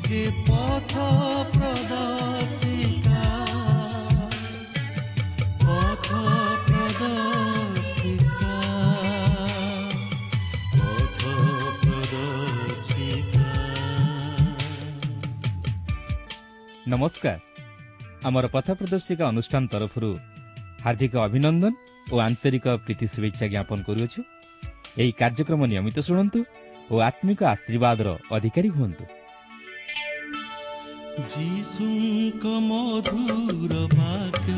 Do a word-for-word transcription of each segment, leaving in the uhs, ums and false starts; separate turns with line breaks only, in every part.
ଯେ ପଥ ପ୍ରଦର୍ଶିକା, ପଥ ପ୍ରଦର୍ଶିକା, ପଥ ପ୍ରଦର୍ଶିକା।
ନମସ୍କାର। ଆମର ପଥ ପ୍ରଦର୍ଶିକା ଅନୁଷ୍ଠାନ ତରଫରୁ ହାର୍ଦ୍ଦିକ ଅଭିନନ୍ଦନ ଓ ଆନ୍ତରିକ ପ୍ରୀତି ଶୁଭେଚ୍ଛା ଜ୍ଞାପନ କରୁଅଛୁ। ଏହି କାର୍ଯ୍ୟକ୍ରମ ନିୟମିତ ଶୁଣନ୍ତୁ ଓ ଆତ୍ମିକ ଆଶୀର୍ବାଦର ଅଧିକାରୀ ହୁଅନ୍ତୁ।
ଯୀଶୁଙ୍କ ମଧୁର ବାକ୍ୟ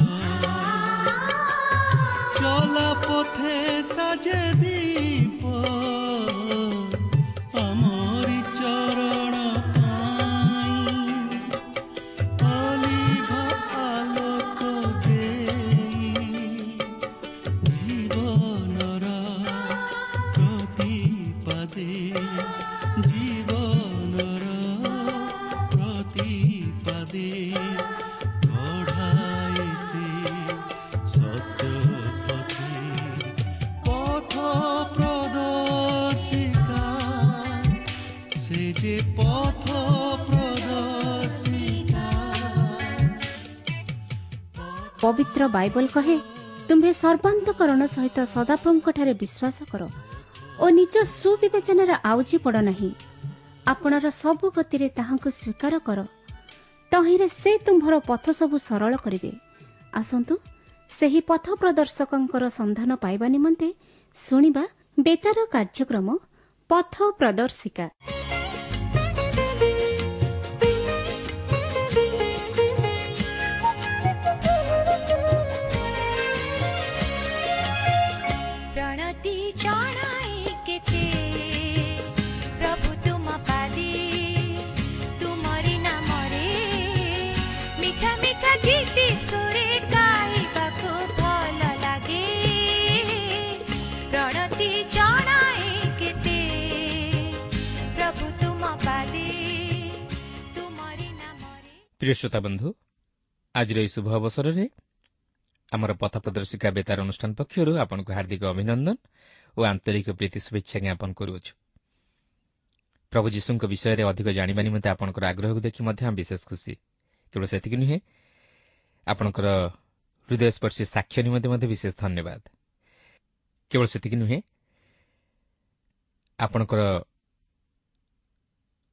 ଚଲା ପଥେ ସାଜେ ଦୀପ, ଆମରି ଚରଣ ପାଇଁ ଅଲିଭ ଆଲୋକ ଦେଇ, ଜୀବନର ପ୍ରତିପାଦେ, ଜୀବନର ପ୍ରତିପାଦେ କଢ଼ାଏ ସେ ସତ୍ୟ ପଥେ। ପଥ ପ୍ରଦର୍ଶିକା, ସେ ଯେ ପଥ ପ୍ରଦର୍ଶିକା।
ପବିତ୍ର ବାଇବଲ କହେ, ତୁମ୍ଭେ ସର୍ବାନ୍ତକରଣ ସହିତ ସଦାପ୍ରଭୁଙ୍କଠାରେ ବିଶ୍ୱାସ କର ଓ ନିଜ ସୁବିବେଚନାରେ ଆଉଜି ପଡ଼ ନାହିଁ। ଆପଣର ସବୁ ଗତିରେ ତାହାଙ୍କୁ ସ୍ୱୀକାର କର, ତହିଁରେ ସେ ତୁମ୍ଭର ପଥ ସବୁ ସରଳ କରିବେ। ଆସନ୍ତୁ ସେହି ପଥ ପ୍ରଦର୍ଶକଙ୍କର ସନ୍ଧାନ ପାଇବା ନିମନ୍ତେ ଶୁଣିବା ବେତାର କାର୍ଯ୍ୟକ୍ରମ ପଥ ପ୍ରଦର୍ଶିକା।
ପ୍ରଣତି ଜଣାଏ କେତେ ପ୍ରଭୁ ତୁମ ପାଦେ, ତୁମରି ନାମରେ ମିଠା ମିଠା ଗୀତି ସୁରେ ଗାଇବାକୁ ଭଲ ଲାଗେ। ପ୍ରଣତି ଜଣାଏ କେତେ ପ୍ରଭୁ ତୁମ ପାଦେ, ତୁମରି ନାମରେ।
ପ୍ରିୟ ଶ୍ରୋତା ବନ୍ଧୁ, ଆଜିର ଏହି ଶୁଭ ଅବସରରେ ଆମର ପଥ ପ୍ରଦର୍ଶିକା ବେତାର ଅନୁଷ୍ଠାନ ପକ୍ଷରୁ ଆପଣଙ୍କୁ ହାର୍ଦ୍ଦିକ ଅଭିନନ୍ଦନ ଓ ଆନ୍ତରିକ ପ୍ରୀତି ଶୁଭେଚ୍ଛା ଜ୍ଞାପନ କରୁଅଛୁ। ପ୍ରଭୁ ଯୀଶୁଙ୍କ ବିଷୟରେ ଅଧିକ ଜାଣିବା ନିମନ୍ତେ ଆପଣଙ୍କର ଆଗ୍ରହକୁ ଦେଖି ମଧ୍ୟ ଆମେ ବିଶେଷ ଖୁସି। କେବଳ ସେତିକି ନୁହେଁ, ଆପଣଙ୍କର ହୃଦୟସ୍ପର୍ଶୀ ସାକ୍ଷ୍ୟ ନିମନ୍ତେ ମଧ୍ୟ ବିଶେଷ ଧନ୍ୟବାଦ। କେବଳ ସେତିକି ନୁହେଁ, ଆପଣଙ୍କର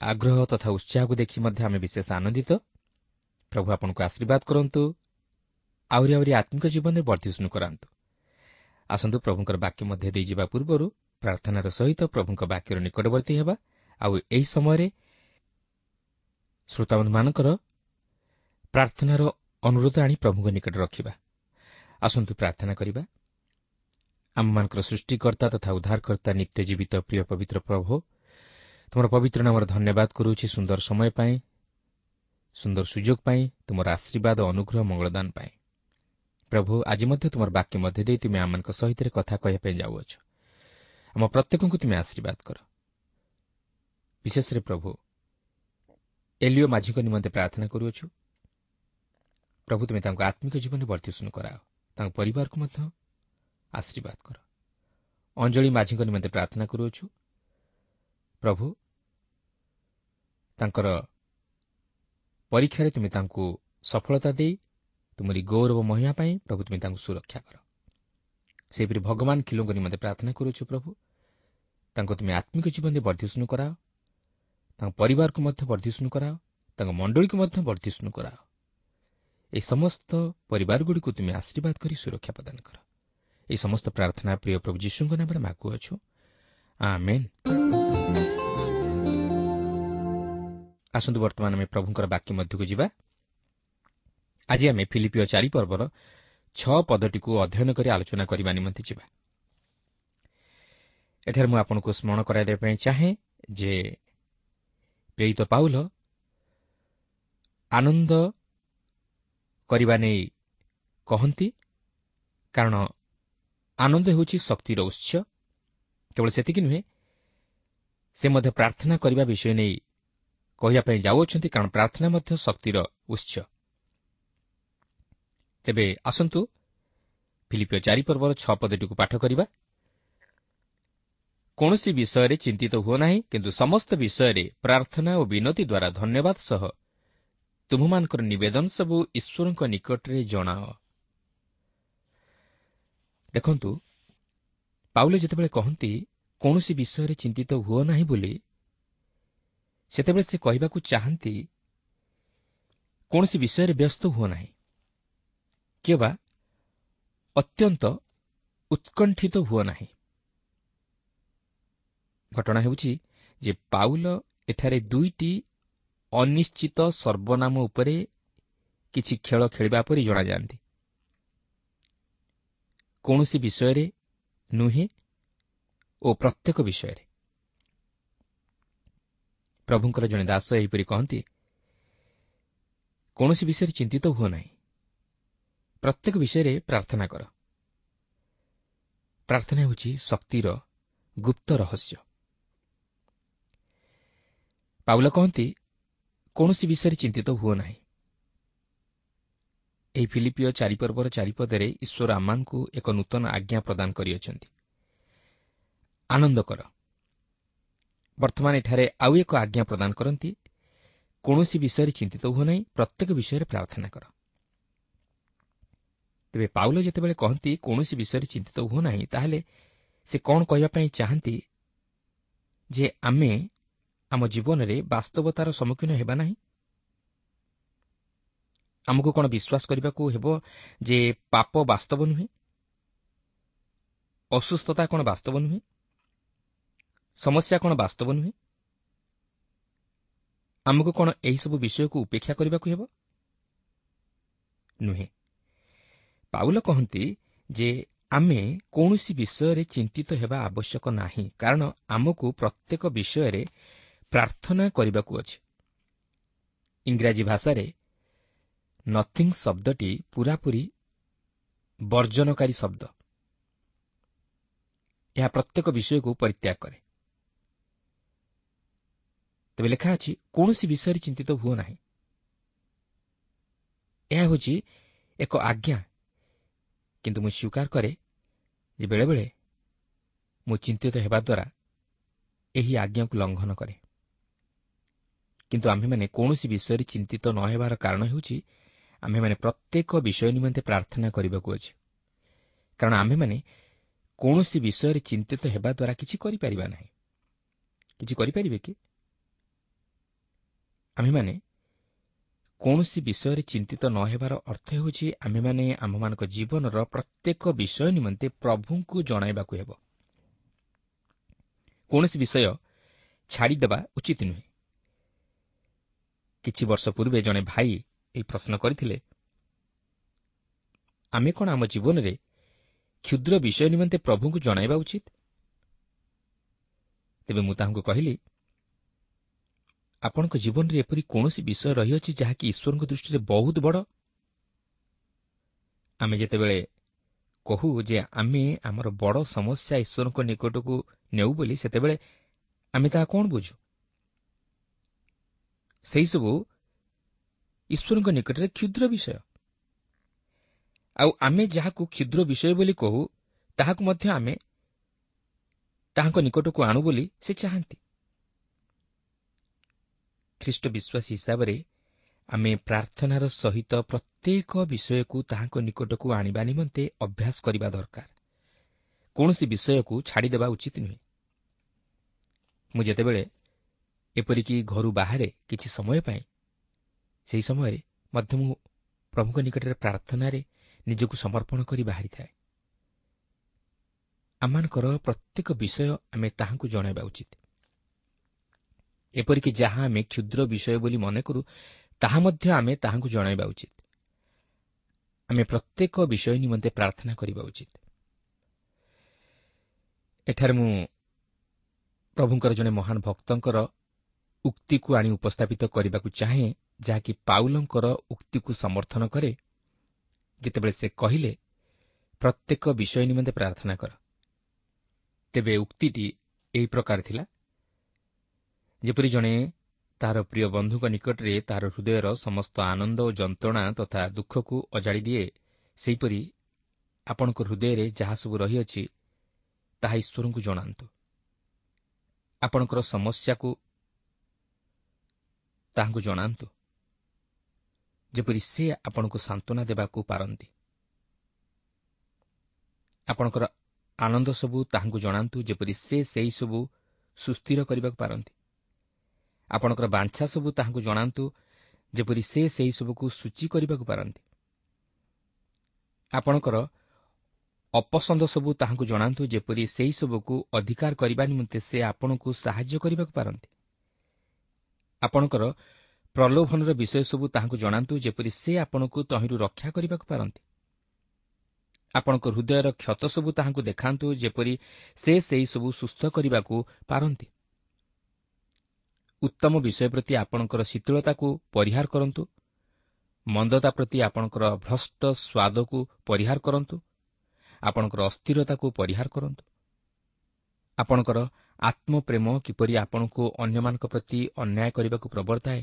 ଆଗ୍ରହ ତଥା ଉତ୍ସାହକୁ ଦେଖି ମଧ୍ୟ ଆମେ ବିଶେଷ ଆନନ୍ଦିତ। ପ୍ରଭୁ ଆପଣଙ୍କୁ ଆଶୀର୍ବାଦ କରନ୍ତୁ, ଆହୁରି ଆହୁରି ଆତ୍ମିକ ଜୀବନରେ ବର୍ଦ୍ଧିଷ୍ଣୁ କରାନ୍ତୁ। ଆସନ୍ତୁ ପ୍ରଭୁଙ୍କର ବାକ୍ୟ ମଧ୍ୟ ଦେଇଯିବା ପୂର୍ବରୁ ପ୍ରାର୍ଥନାର ସହିତ ପ୍ରଭୁଙ୍କ ବାକ୍ୟର ନିକଟବର୍ତ୍ତୀ ହେବା ଆଉ ଏହି ସମୟରେ ଶ୍ରୋତାବନ୍ଧୁମାନଙ୍କର ପ୍ରାର୍ଥନାର ଅନୁରୋଧ ଆଣି ପ୍ରଭୁଙ୍କ ନିକଟରେ ରଖିବା। ଆସନ୍ତୁ ପ୍ରାର୍ଥନା କରିବା। ଆମମାନଙ୍କର ସୃଷ୍ଟିକର୍ତ୍ତା ତଥା ଉଦ୍ଧାରକର୍ତ୍ତା ନିତ୍ୟ ଜୀବିତ ପ୍ରିୟ ପବିତ୍ର ପ୍ରଭୁ, ତୁମର ପବିତ୍ର ନାମର ଧନ୍ୟବାଦ କରୁଅଛି ସୁନ୍ଦର ସମୟ ପାଇଁ, ସୁନ୍ଦର ସୁଯୋଗ ପାଇଁ, ତୁମର ଆଶୀର୍ବାଦ ଅନୁଗ୍ରହ ମଙ୍ଗଳଦାନ ପାଇଁ। ପ୍ରଭୁ, ଆଜି ମଧ୍ୟ ତୁମର ବାକ୍ୟ ମଧ୍ୟ ଦେଇ ତୁମେ ଆମମାନଙ୍କ ସହିତ କଥା କହିବା ପାଇଁ ଯାଉଅଛ। ଆମ ପ୍ରତ୍ୟେକଙ୍କୁ ତୁମେ ଆଶୀର୍ବାଦ କର। ବିଶେଷରେ ପ୍ରଭୁ, ଏଲିଓ ମାଝୀଙ୍କ ନିମନ୍ତେ ପ୍ରାର୍ଥନା କରୁଅଛୁ। ପ୍ରଭୁ, ତୁମେ ତାଙ୍କୁ ଆତ୍ମିକ ଜୀବନରେ ବର୍ଦ୍ଧିଷ୍ଣୁ କରାଅ, ତାଙ୍କ ପରିବାରକୁ ମଧ୍ୟ ଆଶୀର୍ବାଦ କର। ଅଞ୍ଜଳି ମାଝୀଙ୍କ ନିମନ୍ତେ ପ୍ରାର୍ଥନା କରୁଅଛୁ। ପ୍ରଭୁ, ତାଙ୍କର ପରୀକ୍ଷାରେ ତୁମେ ତାଙ୍କୁ ସଫଳତା ଦେଇ ତୁମରି ଗୌରବ ମହିମା ପାଇଁ ପ୍ରଭୁ ତୁମେ ତାଙ୍କୁ ସୁରକ୍ଷା କର। ସେହିପରି ଭଗବାନ ଖିଲୋଙ୍କ ନିମନ୍ତେ ପ୍ରାର୍ଥନା କରୁଅଛୁ। ପ୍ରଭୁ, ତାଙ୍କୁ ତୁମେ ଆତ୍ମିକ ଜୀବନରେ ବର୍ଦ୍ଧିଷ୍ଣୁ କରାଅ, ତାଙ୍କ ପରିବାରକୁ ମଧ୍ୟ ବର୍ଦ୍ଧିଷ୍ଣୁ କରାଅ, ତାଙ୍କ ମଣ୍ଡଳୀକୁ ମଧ୍ୟ ବର୍ଦ୍ଧିଷ୍ଣୁ କରାଅ। ଏହି ସମସ୍ତ ପରିବାରଗୁଡ଼ିକୁ ତୁମେ ଆଶୀର୍ବାଦ କରି ସୁରକ୍ଷା ପ୍ରଦାନ କର। ଏହି ସମସ୍ତ ପ୍ରାର୍ଥନା ପ୍ରିୟ ପ୍ରଭୁ ଯୀଶୁଙ୍କ ନାମରେ ମାଗୁଅଛୁ, ଆମେନ୍। ଆସନ୍ତୁ ବର୍ତ୍ତମାନ ଆମେ ପ୍ରଭୁଙ୍କର ବାକ୍ୟ ମଧ୍ୟକୁ ଯିବା। ଆଜି ଆମେ ଫିଲିପିଓ ଚାରି ପର୍ବର ଛଅ ପଦଟିକୁ ଅଧ୍ୟୟନ କରି ଆଲୋଚନା କରିବା ନିମନ୍ତେ ଯିବା। ଏଠାରେ ମୁଁ ଆପଣଙ୍କୁ ସ୍ମରଣ କରାଇଦେବା ପାଇଁ ଚାହେଁ ଯେ ପ୍ରେରିତ ପାଉଲ ଆନନ୍ଦ କରିବା ନେଇ କହନ୍ତି, କାରଣ ଆନନ୍ଦ ହେଉଛି ଶକ୍ତିର ଉତ୍ସ। କେବଳ ସେତିକି ନୁହେଁ, ସେ ମଧ୍ୟ ପ୍ରାର୍ଥନା କରିବା ବିଷୟ ନେଇ କହିବା ପାଇଁ ଯାଉଅଛନ୍ତି, କାରଣ ପ୍ରାର୍ଥନା ମଧ୍ୟ ଶକ୍ତିର ଉତ୍ସ। ତେବେ ଆସନ୍ତୁ ଫିଲିପିଓ ଚାରି ପର୍ବର ଛଅ ପଦଟିକୁ ପାଠ କରିବା। କୌଣସି ବିଷୟରେ ଚିନ୍ତିତ ହୁଅ ନାହିଁ, କିନ୍ତୁ ସମସ୍ତ ବିଷୟରେ ପ୍ରାର୍ଥନା ଓ ବିନତି ଦ୍ୱାରା ଧନ୍ୟବାଦ ସହ ତୁମ୍ଭମାନଙ୍କର ନିବେଦନ ସବୁ ଈଶ୍ୱରଙ୍କ ନିକଟରେ ଜଣାଅ। ଦେଖନ୍ତୁ, ପାଉଲ ଯେତେବେଳେ କହନ୍ତି କୌଣସି ବିଷୟରେ ଚିନ୍ତିତ ହୁଅ ନାହିଁ ବୋଲି, ସେତେବେଳେ ସେ କହିବାକୁ ଚାହାନ୍ତି କୌଣସି ବିଷୟରେ ବ୍ୟସ୍ତ ହୁଅ ନାହିଁ କିମ୍ବା ଅତ୍ୟନ୍ତ ଉତ୍କଣ୍ଠିତ ହୁଅ ନାହିଁ। ଘଟଣା ହେଉଛି ଯେ ପାଉଲ ଏଠାରେ ଦୁଇଟି ଅନିଶ୍ଚିତ ସର୍ବନାମ ଉପରେ କିଛି ଖେଳ ଖେଳିବା ପରି ଜଣାଯାଆନ୍ତି, କୌଣସି ବିଷୟରେ ନୁହେଁ ଓ ପ୍ରତ୍ୟେକ ବିଷୟରେ। ପ୍ରଭୁଙ୍କର ଜଣେ ଦାସ ଏହିପରି କହନ୍ତି, କୌଣସି ବିଷୟରେ ଚିନ୍ତିତ ହୁଅ ନାହିଁ, ପ୍ରତ୍ୟେକ ବିଷୟରେ ପ୍ରାର୍ଥନା କର। ପ୍ରାର୍ଥନା ହେଉଛି ଶକ୍ତିର ଗୁପ୍ତ ରହସ୍ୟ। ପାଉଲ କହନ୍ତି, କୌଣସି ବିଷୟରେ ଚିନ୍ତିତ ହୁଅ ନାହିଁ। ଏହି ଫିଲିପିଓ ଚାରିପର୍ବର ଚାରିପଦରେ ଈଶ୍ୱର ଆମମାନଙ୍କୁ ଏକ ନୂତନ ଆଜ୍ଞା ପ୍ରଦାନ କରିଅଛନ୍ତି, ଆନନ୍ଦ କର। ବର୍ତ୍ତମାନ ଏଠାରେ ଆଉ ଏକ ଆଜ୍ଞା ପ୍ରଦାନ କରନ୍ତି, କୌଣସି ବିଷୟରେ ଚିନ୍ତିତ ହୁଅ ନାହିଁ, ପ୍ରତ୍ୟେକ ବିଷୟରେ ପ୍ରାର୍ଥନା କର। ତେବେ ପାଉଲ ଯେତେବେଳେ କହନ୍ତି କୌଣସି ବିଷୟରେ ଚିନ୍ତିତ ହୁଅ ନାହିଁ, ତାହେଲେ ସେ କ'ଣ କହିବା ପାଇଁ ଚାହାନ୍ତି ଯେ ଆମେ ଆମ ଜୀବନରେ ବାସ୍ତବତାର ସମ୍ମୁଖୀନ ହେବା ନାହିଁ? ଆମକୁ କ'ଣ ବିଶ୍ୱାସ କରିବାକୁ ହେବ ଯେ ପାପ ବାସ୍ତବ ନୁହେଁ? ଅସୁସ୍ଥତା କ'ଣ ବାସ୍ତବ ନୁହେଁ? ସମସ୍ୟା କ'ଣ ବାସ୍ତବ ନୁହେଁ? ଆମକୁ କ'ଣ ଏହିସବୁ ବିଷୟକୁ ଉପେକ୍ଷା କରିବାକୁ ହେବ? ନୁହେଁ। ପାଉଲ କହନ୍ତି ଯେ ଆମେ କୌଣସି ବିଷୟରେ ଚିନ୍ତିତ ହେବା ଆବଶ୍ୟକ ନାହିଁ, କାରଣ ଆମକୁ ପ୍ରତ୍ୟେକ ବିଷୟରେ ପ୍ରାର୍ଥନା କରିବାକୁ ଅଛି। ଇଂରାଜୀ ଭାଷାରେ ନଥିଙ୍ଗ ଶବ୍ଦଟି ପୂରାପୂରି ବର୍ଜନକାରୀ ଶବ୍ଦ। ଏହା ପ୍ରତ୍ୟେକ ବିଷୟକୁ ପରିତ୍ୟାଗ କରେ। ତେବେ ଲେଖା ଅଛି, କୌଣସି ବିଷୟରେ ଚିନ୍ତିତ ହୁଅ ନାହିଁ। ଏହା ହେଉଛି ଏକ ଆଜ୍ଞା, କିନ୍ତୁ ମୁଁ ସ୍ୱୀକାର କରେ ଯେ ବେଳେବେଳେ ମୁଁ ଚିନ୍ତିତ ହେବା ଦ୍ୱାରା ଏହି ଆଜ୍ଞାକୁ ଲଙ୍ଘନ କରେ। କିନ୍ତୁ ଆମ୍ଭେମାନେ କୌଣସି ବିଷୟରେ ଚିନ୍ତିତ ନ ହେବାର କାରଣ ହେଉଛି ଆମ୍ଭେମାନେ ପ୍ରତ୍ୟେକ ବିଷୟ ନିମନ୍ତେ ପ୍ରାର୍ଥନା କରିବାକୁ ଅଛି, କାରଣ ଆମ୍ଭେମାନେ କୌଣସି ବିଷୟରେ ଚିନ୍ତିତ ହେବା ଦ୍ୱାରା କିଛି କରିପାରିବା ନାହିଁ। କିଛି କରିପାରିବେ କି? ଆମ୍ଭେମାନେ କୌଣସି ବିଷୟରେ ଚିନ୍ତିତ ନ ହେବାର ଅର୍ଥ ହେଉଛି ଆମ୍ଭେମାନେ ଆମ୍ଭମାନଙ୍କ ଜୀବନର ପ୍ରତ୍ୟେକ ବିଷୟ ନିମନ୍ତେ ପ୍ରଭୁଙ୍କୁ ଜଣାଇବାକୁ ହେବ। କୌଣସି ବିଷୟ ଛାଡ଼ିଦେବା ଉଚିତ ନୁହେଁ। କିଛି ବର୍ଷ ପୂର୍ବେ ଜଣେ ଭାଇ ଏହି ପ୍ରଶ୍ନ କରିଥିଲେ, ଆମେ କ'ଣ ଆମ ଜୀବନରେ କ୍ଷୁଦ୍ର ବିଷୟ ନିମନ୍ତେ ପ୍ରଭୁଙ୍କୁ ଜଣାଇବା ଉଚିତ? ତେବେ ମୁଁ ତାହାଙ୍କୁ କହିଲି, ଆପଣଙ୍କ ଜୀବନରେ ଏପରି କୌଣସି ବିଷୟ ରହିଅଛି ଯାହାକି ଈଶ୍ୱରଙ୍କ ଦୃଷ୍ଟିରେ ବହୁତ ବଡ଼? ଆମେ ଯେତେବେଳେ କହୁ ଯେ ଆମେ ଆମର ବଡ଼ ସମସ୍ୟା ଈଶ୍ୱରଙ୍କ ନିକଟକୁ ନେଉ ବୋଲି, ସେତେବେଳେ ଆମେ ତାହା କ'ଣ ବୁଝୁ? ସେହିସବୁ ଈଶ୍ୱରଙ୍କ ନିକଟରେ କ୍ଷୁଦ୍ର ବିଷୟ। ଆଉ ଆମେ ଯାହାକୁ କ୍ଷୁଦ୍ର ବିଷୟ ବୋଲି କହୁ, ତାହାକୁ ମଧ୍ୟ ଆମେ ତାହାଙ୍କ ନିକଟକୁ ଆଣୁ ବୋଲି ସେ ଚାହାନ୍ତି। ଖ୍ରୀଷ୍ଟ ବିଶ୍ୱାସୀ ହିସାବରେ ଆମେ ପ୍ରାର୍ଥନାର ସହିତ ପ୍ରତ୍ୟେକ ବିଷୟକୁ ତାହାଙ୍କ ନିକଟକୁ ଆଣିବା ନିମନ୍ତେ ଅଭ୍ୟାସ କରିବା ଦରକାର। କୌଣସି ବିଷୟକୁ ଛାଡ଼ିଦେବା ଉଚିତ ନୁହେଁ। ମୁଁ ଯେତେବେଳେ ଏପରିକି ଘରୁ ବାହାରେ କିଛି ସମୟ ପାଇଁ, ସେହି ସମୟରେ ମଧ୍ୟ ମୁଁ ପ୍ରଭୁଙ୍କ ନିକଟରେ ପ୍ରାର୍ଥନାରେ ନିଜକୁ ସମର୍ପଣ କରି ବାହାରିଥାଏ। ଆମମାନଙ୍କର ପ୍ରତ୍ୟେକ ବିଷୟ ଆମେ ତାହାଙ୍କୁ ଜଣାଇବା ଉଚିତ। ଏପରିକି ଯାହା ଆମେ କ୍ଷୁଦ୍ର ବିଷୟ ବୋଲି ମନେ କରୁ, ତାହା ମଧ୍ୟ ଆମେ ତାହାଙ୍କୁ ଜଣାଇବା ଉଚିତ। ଆମେ ପ୍ରତ୍ୟେକ ବିଷୟ ନିମନ୍ତେ ପ୍ରାର୍ଥନା କରିବା ଉଚିତ। ଏଠାରେ ମୁଁ ପ୍ରଭୁଙ୍କର ଜଣେ ମହାନ ଭକ୍ତଙ୍କର ଉକ୍ତିକୁ ଆଣି ଉପସ୍ଥାପିତ କରିବାକୁ ଚାହେଁ, ଯାହାକି ପାଉଲଙ୍କର ଉକ୍ତିକୁ ସମର୍ଥନ କରେ, ଯେତେବେଳେ ସେ କହିଲେ, ପ୍ରତ୍ୟେକ ବିଷୟ ନିମନ୍ତେ ପ୍ରାର୍ଥନା କର। ତେବେ ଉକ୍ତିଟି ଏହି ପ୍ରକାର ଥିଲା, ଯେପରି ଜଣେ ତାହାର ପ୍ରିୟ ବନ୍ଧୁଙ୍କ ନିକଟରେ ତାହାର ହୃଦୟର ସମସ୍ତ ଆନନ୍ଦ ଓ ଯନ୍ତ୍ରଣା ତଥା ଦୁଃଖକୁ ଅଜାଡ଼ି ଦିଏ, ସେହିପରି ଆପଣଙ୍କ ହୃଦୟରେ ଯାହା ସବୁ ରହିଅଛି ତାହା ଈଶ୍ୱରଙ୍କୁ ଜଣାନ୍ତୁ। ଆପଣଙ୍କର ସମସ୍ୟାକୁ ତାହାଙ୍କୁ ଜଣାନ୍ତୁ, ଯେପରି ସେ ଆପଣଙ୍କୁ ସାନ୍ତ୍ୱନା ଦେବାକୁ ପାରନ୍ତି। ଆପଣଙ୍କର ଆନନ୍ଦ ସବୁ ତାହାଙ୍କୁ ଜଣାନ୍ତୁ, ଯେପରି ସେ ସେହି ସବୁ ସୁସ୍ଥିର କରିବାକୁ ପାରନ୍ତି। ଆପଣଙ୍କର ବାଞ୍ଛା ସବୁ ତାହାଙ୍କୁ ଜଣାନ୍ତୁ, ଯେପରି ସେ ସେହି ସବୁକୁ ସୂଚୀ କରିବାକୁ ପାରନ୍ତି। ଆପଣଙ୍କର ଅପସନ୍ଦ ସବୁ ତାହାଙ୍କୁ ଜଣାନ୍ତୁ, ଯେପରି ସେହି ସବୁକୁ ଅଧିକାର କରିବା ନିମନ୍ତେ ସେ ଆପଣଙ୍କୁ ସାହାଯ୍ୟ କରିବାକୁ ପାରନ୍ତି। ଆପଣଙ୍କର ପ୍ରଲୋଭନର ବିଷୟ ସବୁ ତାହାଙ୍କୁ ଜଣାନ୍ତୁ, ଯେପରି ସେ ଆପଣଙ୍କୁ ତହିଁରୁ ରକ୍ଷା କରିବାକୁ ପାରନ୍ତି। ଆପଣଙ୍କ ହୃଦୟର କ୍ଷତ ସବୁ ତାହାଙ୍କୁ ଦେଖାନ୍ତୁ, ଯେପରି ସେ ସେହି ସବୁ ସୁସ୍ଥ କରିବାକୁ ପାରନ୍ତି। ଉତ୍ତମ ବିଷୟ ପ୍ରତି ଆପଣଙ୍କର ଶୀତଳତାକୁ ପରିହାର କରନ୍ତୁ, ମନ୍ଦତା ପ୍ରତି ଆପଣଙ୍କର ଭ୍ରଷ୍ଟ ସ୍ୱାଦକୁ ପରିହାର କରନ୍ତୁ, ଆପଣଙ୍କର ଅସ୍ଥିରତାକୁ ପରିହାର କରନ୍ତୁ। ଆପଣଙ୍କର ଆତ୍ମପ୍ରେମ କିପରି ଆପଣଙ୍କୁ ଅନ୍ୟମାନଙ୍କ ପ୍ରତି ଅନ୍ୟାୟ କରିବାକୁ ପ୍ରବର୍ତ୍ତାଏ,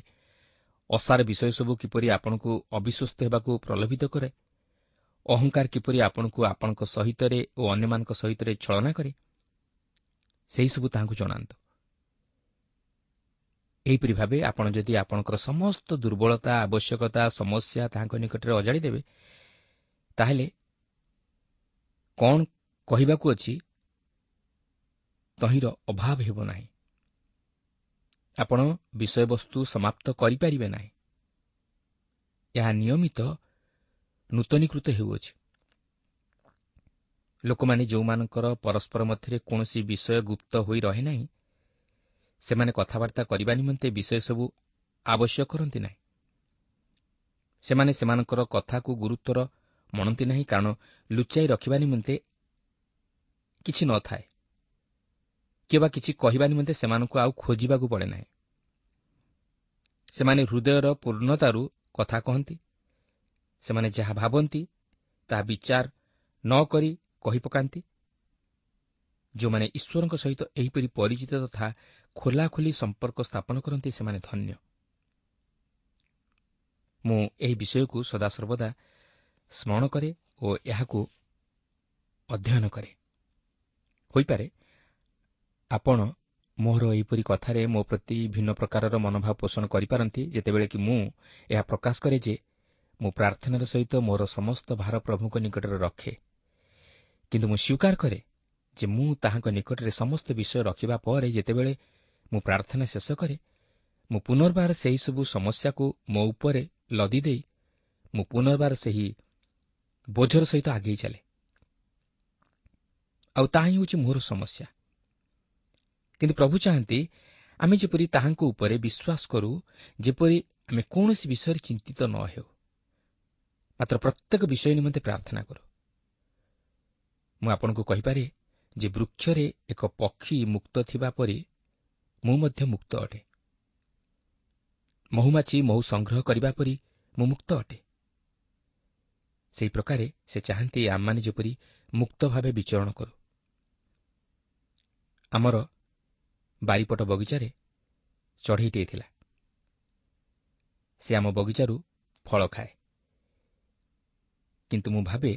ଅସାର ବିଷୟ ସବୁ କିପରି ଆପଣଙ୍କୁ ଅବିଶ୍ୱସ୍ତ ହେବାକୁ ପ୍ରଲୋଭିତ କରେ, ଅହଙ୍କାର କିପରି ଆପଣଙ୍କୁ ଆପଣଙ୍କ ସହିତରେ ଓ ଅନ୍ୟମାନଙ୍କ ସହିତରେ ଛଳନା କରେ, ସେହିସବୁ ତାହାଙ୍କୁ ଜଣାନ୍ତୁ। ଏହିପରି ଭାବେ ଆପଣ ଯଦି ଆପଣଙ୍କର ସମସ୍ତ ଦୁର୍ବଳତା, ଆବଶ୍ୟକତା, ସମସ୍ୟା ତାହାଙ୍କ ନିକଟରେ ଅଜାଡ଼ି ଦେବେ, ତାହେଲେ କ'ଣ କହିବାକୁ ଅଛି ତହିଁର ଅଭାବ ହେବ ନାହିଁ। ଆପଣ ବିଷୟବସ୍ତୁ ସମାପ୍ତ କରିପାରିବେ ନାହିଁ। ଏହା ନିୟମିତ ନୂତନୀକୃତ ହେଉଅଛି। ଲୋକମାନେ ଯେଉଁମାନଙ୍କର ପରସ୍ପର ମଧ୍ୟରେ କୌଣସି ବିଷୟ ଗୁପ୍ତ ହୋଇ ରହେ ନାହିଁ, ସେମାନେ କଥାବାର୍ତ୍ତା କରିବା ନିମନ୍ତେ ବିଷୟ ସବୁ ଆବଶ୍ୟକ କରନ୍ତି ନାହିଁ। ସେମାନେ ସେମାନଙ୍କର କଥାକୁ ଗୁରୁତ୍ୱର ମଣନ୍ତି ନାହିଁ, କାରଣ ଲୁଚାଇ ରଖିବା ନିମନ୍ତେ କିଛି ନଥାଏ କିମ୍ବା କିଛି କହିବା ନିମନ୍ତେ ସେମାନଙ୍କୁ ଆଉ ଖୋଜିବାକୁ ପଡ଼େ ନାହିଁ। ସେମାନେ ହୃଦୟର ପୂର୍ଣ୍ଣତାରୁ କଥା କହନ୍ତି। ସେମାନେ ଯାହା ଭାବନ୍ତି ତାହା ବିଚାର ନ କରି କହି ପକାନ୍ତି। ଯେଉଁମାନେ ଈଶ୍ୱରଙ୍କ ସହିତ ଏହିପରି ପରିଚିତ ତଥା ଖୋଲାଖୋଲି ସମ୍ପର୍କ ସ୍ଥାପନ କରନ୍ତି, ସେମାନେ ଧନ୍ୟ। ମୁଁ ଏହି ବିଷୟକୁ ସଦାସର୍ବଦା ସ୍ମରଣ କରେ ଓ ଏହାକୁ ଅଧ୍ୟୟନ କରେ। ହୋଇପାରେ ଆପଣ ମୋର ଏହିପରି କଥାରେ ମୋ ପ୍ରତି ଭିନ୍ନ ପ୍ରକାରର ମନୋଭାବ ପୋଷଣ କରିପାରନ୍ତି, ଯେତେବେଳେ କି ମୁଁ ଏହା ପ୍ରକାଶ କରେ ଯେ ମୁଁ ପ୍ରାର୍ଥନାର ସହିତ ମୋର ସମସ୍ତ ଭାର ପ୍ରଭୁଙ୍କ ନିକଟରେ ରଖେ। କିନ୍ତୁ ମୁଁ ସ୍ୱୀକାର କରେ ଯେ ମୁଁ ତାହାଙ୍କ ନିକଟରେ ସମସ୍ତ ବିଷୟ ରଖିବା ପରେ ଯେତେବେଳେ ମୁଁ ପ୍ରାର୍ଥନା ଶେଷ କରେ, ମୁଁ ପୁନର୍ବାର ସେହିସବୁ ସମସ୍ୟାକୁ ମୋ ଉପରେ ଲଦି ଦେଇ ମୁଁ ପୁନର୍ବାର ସେହି ବୋଝର ସହିତ ଆଗେଇ ଚାଲେ। ଆଉ ତାହା ହିଁ ହେଉଛି ମୋର ସମସ୍ୟା। କିନ୍ତୁ ପ୍ରଭୁ ଚାହାନ୍ତି ଆମେ ଯେପରି ତାହାଙ୍କ ଉପରେ ବିଶ୍ୱାସ କରୁ, ଯେପରି ଆମେ କୌଣସି ବିଷୟରେ ଚିନ୍ତିତ ନ ହେଉ, ମାତ୍ର ପ୍ରତ୍ୟେକ ବିଷୟ ନିମନ୍ତେ ପ୍ରାର୍ଥନା କରୁ। ମୁଁ ଆପଣଙ୍କୁ କହିପାରେ ଯେ ବୃକ୍ଷରେ ଏକ ପକ୍ଷୀ ମୁକ୍ତ ଥିବା ପରି ମୁଁ ମଧ୍ୟ ମୁକ୍ତ ଅଟେ। ମହୁମାଛି ମହୁ ସଂଗ୍ରହ କରିବା ପରି ମୁଁ ମୁକ୍ତ ଅଟେ। ସେହି ପ୍ରକାରେ ସେ ଚାହାନ୍ତି ଆମମାନେ ଯେପରି ମୁକ୍ତ ଭାବେ ବିଚରଣ କରୁ। ଆମର ବାରିପଟ ବଗିଚାରେ ଚଢ଼େଇଟିଏ ଥିଲା। ସେ ଆମ ବଗିଚାରୁ ଫଳ ଖାଏ, କିନ୍ତୁ ମୁଁ ଭାବେ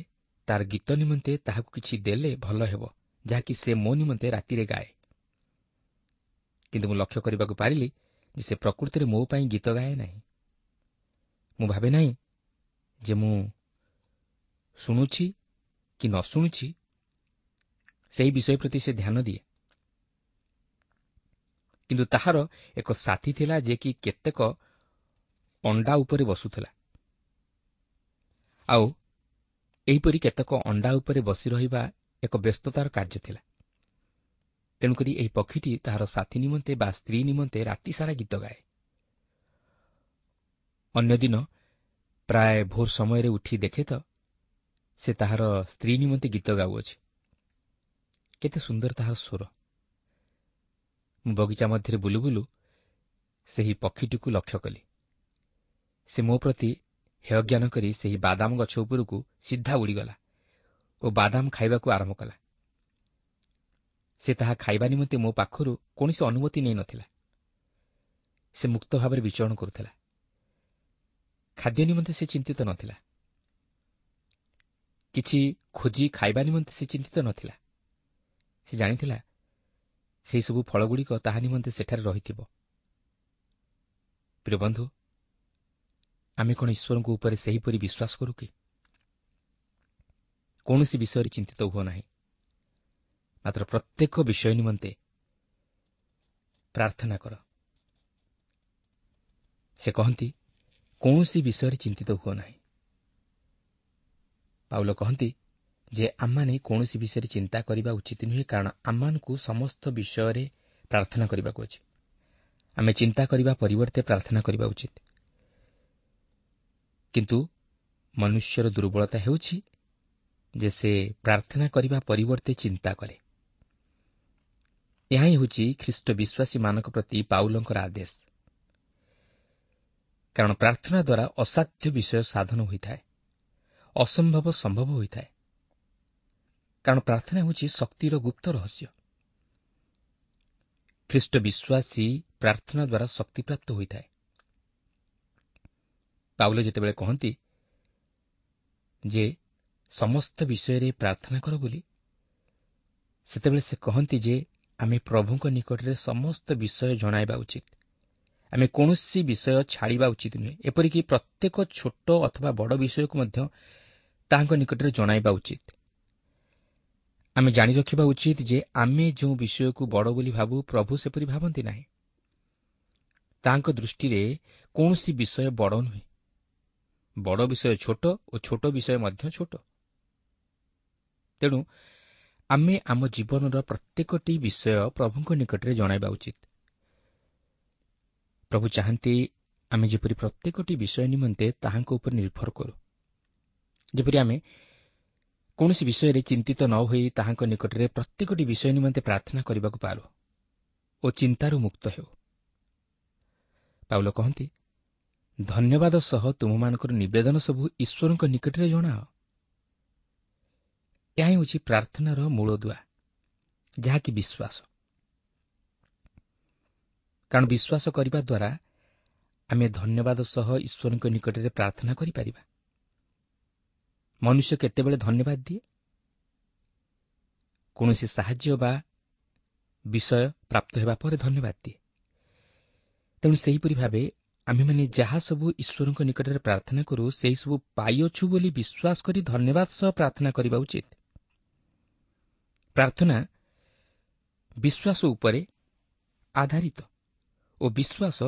ତାର ଗୀତ ନିମନ୍ତେ ତାହାକୁ କିଛି ଦେଲେ ଭଲ ହେବ, ଯାହାକି ସେ ମୋ ନିମନ୍ତେ ରାତିରେ ଗାଏ। କିନ୍ତୁ ମୁଁ ଲକ୍ଷ୍ୟ କରିବାକୁ ପାରିଲି ଯେ ସେ ପ୍ରକୃତିରେ ମୋ ପାଇଁ ଗୀତ ଗାଏ ନାହିଁ। ମୁଁ ଭାବେ ନାହିଁ ଯେ ମୁଁ ଶୁଣୁଛି କି ନ ଶୁଣୁଛି ସେହି ବିଷୟ ପ୍ରତି ସେ ଧ୍ୟାନ ଦିଏ। କିନ୍ତୁ ତାହାର ଏକ ସାଥୀ ଥିଲା ଯେ କି କେତେକ ଅଣ୍ଡା ଉପରେ ବସୁଥିଲା, ଆଉ ଏହିପରି କେତେକ ଅଣ୍ଡା ଉପରେ ବସି ରହିବା ଏକ ବ୍ୟସ୍ତତାର କାର୍ଯ୍ୟ ଥିଲା। ତେଣୁକରି ଏହି ପକ୍ଷୀଟି ତାହାର ସାଥୀ ନିମନ୍ତେ ବା ସ୍ତ୍ରୀ ନିମନ୍ତେ ରାତିସାରା ଗୀତ ଗାଏ। ଅନ୍ୟ ଦିନ ପ୍ରାୟ ଭୋର ସମୟରେ ଉଠି ଦେଖେ ତ ସେ ତାହାର ସ୍ତ୍ରୀ ନିମନ୍ତେ ଗୀତ ଗାଉଅଛି। କେତେ ସୁନ୍ଦର ତାହାର ସ୍ୱର! ମୁଁ ବଗିଚା ମଧ୍ୟରେ ବୁଲୁ ବୁଲୁ ସେହି ପକ୍ଷୀଟିକୁ ଲକ୍ଷ୍ୟ କଲି। ସେ ମୋ ପ୍ରତି ହେୟଜ୍ଞାନ କରି ସେହି ବାଦାମ ଗଛ ଉପରକୁ ସିଧା ଉଡ଼ିଗଲା ଓ ବାଦାମ ଖାଇବାକୁ ଆରମ୍ଭ କଲା। ସେ ତାହା ଖାଇବା ନିମନ୍ତେ ମୋ ପାଖରୁ କୌଣସି ଅନୁମତି ନେଇନଥିଲା। ସେ ମୁକ୍ତ ଭାବରେ ବିଚରଣ କରୁଥିଲା। ଖାଦ୍ୟ ନିମନ୍ତେ ସେ ଚିନ୍ତିତ ନଥିଲା। କିଛି ଖୋଜି ଖାଇବା ନିମନ୍ତେ ସେ ଚିନ୍ତିତ ନଥିଲା। ସେ ଜାଣିଥିଲା ସେହିସବୁ ଫଳଗୁଡ଼ିକ ତାହା ନିମନ୍ତେ ସେଠାରେ ରହିଥିବ। ପ୍ରିୟ ବନ୍ଧୁ, ଆମେ କ'ଣ ଈଶ୍ୱରଙ୍କ ଉପରେ ସେହିପରି ବିଶ୍ୱାସ କରୁ କି? କୌଣସି ବିଷୟରେ ଚିନ୍ତିତ ହୁଅ ନାହିଁ, ମାତ୍ର ପ୍ରତ୍ୟେକ ବିଷୟ ନିମନ୍ତେ ପ୍ରାର୍ଥନା କର। ସେ କହନ୍ତି, କୌଣସି ବିଷୟରେ ଚିନ୍ତିତ ହୁଅ ନାହିଁ। ପାଉଲ କହନ୍ତି ଯେ ଆମମାନେ କୌଣସି ବିଷୟରେ ଚିନ୍ତା କରିବା ଉଚିତ ନୁହେଁ, କାରଣ ଆମମାନଙ୍କୁ ସମସ୍ତ ବିଷୟରେ ପ୍ରାର୍ଥନା କରିବାକୁ ଅଛି। ଆମେ ଚିନ୍ତା କରିବା ପରିବର୍ତ୍ତେ ପ୍ରାର୍ଥନା କରିବା ଉଚିତ। କିନ୍ତୁ ମନୁଷ୍ୟର ଦୁର୍ବଳତା ହେଉଛି ଯେ ସେ ପ୍ରାର୍ଥନା କରିବା ପରିବର୍ତ୍ତେ ଚିନ୍ତା କରେ। ଏହା ହିଁ ହେଉଛି ଖ୍ରୀଷ୍ଟ ବିଶ୍ୱାସୀମାନଙ୍କ ପ୍ରତି ପାଉଲଙ୍କର ଆଦେଶ। କାରଣ ପ୍ରାର୍ଥନା ଦ୍ୱାରା ଅସାଧ୍ୟ ବିଷୟ ସାଧନ ହୋଇଥାଏ, ଅସମ୍ଭବ ସମ୍ଭବ ହୋଇଥାଏ। କାରଣ ପ୍ରାର୍ଥନା ହେଉଛି ଶକ୍ତିର ଗୁପ୍ତ ରହସ୍ୟ। ଖ୍ରୀଷ୍ଟ ବିଶ୍ୱାସୀ ପ୍ରାର୍ଥନା ଦ୍ୱାରା ଶକ୍ତିପ୍ରାପ୍ତ ହୋଇଥାଏ। ପାଉଲ ଯେତେବେଳେ କହନ୍ତି ଯେ ସମସ୍ତ ବିଷୟରେ ପ୍ରାର୍ଥନା କର ବୋଲି, ସେତେବେଳେ ସେ କହନ୍ତି ଯେ ଆମେ ପ୍ରଭୁଙ୍କ ନିକଟରେ ସମସ୍ତ ବିଷୟ ଜଣାଇବା ଉଚିତ। ଆମେ କୌଣସି ବିଷୟ ଛାଡ଼ିବା ଉଚିତ ନୁହେଁ। ଏପରିକି ପ୍ରତ୍ୟେକ ଛୋଟ ଅଥବା ବଡ଼ ବିଷୟକୁ ମଧ୍ୟ ତାହାଙ୍କ ନିକଟରେ ଜଣାଇବା ଉଚିତ। ଆମେ ଜାଣି ରଖିବା ଉଚିତ ଯେ ଆମେ ଯେଉଁ ବିଷୟକୁ ବଡ଼ ବୋଲି ଭାବୁ, ପ୍ରଭୁ ସେପରି ଭାବନ୍ତି ନାହିଁ। ତାହାଙ୍କ ଦୃଷ୍ଟିରେ କୌଣସି ବିଷୟ ବଡ଼ ନୁହେଁ। ବଡ଼ ବିଷୟ ଛୋଟ ଓ ଛୋଟ ବିଷୟ ମଧ୍ୟ ଛୋଟ। ତେଣୁ ଆମେ ଆମ ଜୀବନର ପ୍ରତ୍ୟେକଟି ବିଷୟ ପ୍ରଭୁଙ୍କ ନିକଟରେ ଜଣାଇବା ଉଚିତ। ପ୍ରଭୁ ଚାହାନ୍ତି ଆମେ ଯେପରି ପ୍ରତ୍ୟେକଟି ବିଷୟ ନିମନ୍ତେ ତାହାଙ୍କ ଉପରେ ନିର୍ଭର କରୁ, ଯେପରି ଆମେ କୌଣସି ବିଷୟରେ ଚିନ୍ତିତ ନ ହୋଇ ତାହାଙ୍କ ନିକଟରେ ପ୍ରତ୍ୟେକଟି ବିଷୟ ନିମନ୍ତେ ପ୍ରାର୍ଥନା କରିବାକୁ ପାରୁ ଓ ଚିନ୍ତାରୁ ମୁକ୍ତ ହେଉ। ପାଉଲ କହନ୍ତି, ଧନ୍ୟବାଦ ସହ ତୁମମାନଙ୍କର ନିବେଦନ ସବୁ ଈଶ୍ୱରଙ୍କ ନିକଟରେ ଜଣାଅ। ଏହା ହେଉଛି ପ୍ରାର୍ଥନାର ମୂଳଦୁଆ, ଯାହାକି ବିଶ୍ୱାସ। କାରଣ ବିଶ୍ୱାସ କରିବା ଦ୍ୱାରା ଆମେ ଧନ୍ୟବାଦ ସହ ଈଶ୍ୱରଙ୍କ ନିକଟରେ ପ୍ରାର୍ଥନା କରିପାରିବା। ମନୁଷ୍ୟ କେତେବେଳେ ଧନ୍ୟବାଦ ଦିଏ? କୌଣସି ସାହାଯ୍ୟ ବା ବିଷୟ ପ୍ରାପ୍ତ ହେବା ପରେ ଧନ୍ୟବାଦ ଦିଏ। ତେଣୁ ସେହିପରି ଭାବେ ଆମେମାନେ ଯାହା ସବୁ ଈଶ୍ୱରଙ୍କ ନିକଟରେ ପ୍ରାର୍ଥନା କରୁ, ସେହିସବୁ ପାଇଅଛୁ ବୋଲି ବିଶ୍ୱାସ କରି ଧନ୍ୟବାଦ ସହ ପ୍ରାର୍ଥନା କରିବା ଉଚିତ। ପ୍ରାର୍ଥନା ବିଶ୍ୱାସ ଉପରେ ଆଧାରିତ ଓ ବିଶ୍ୱାସ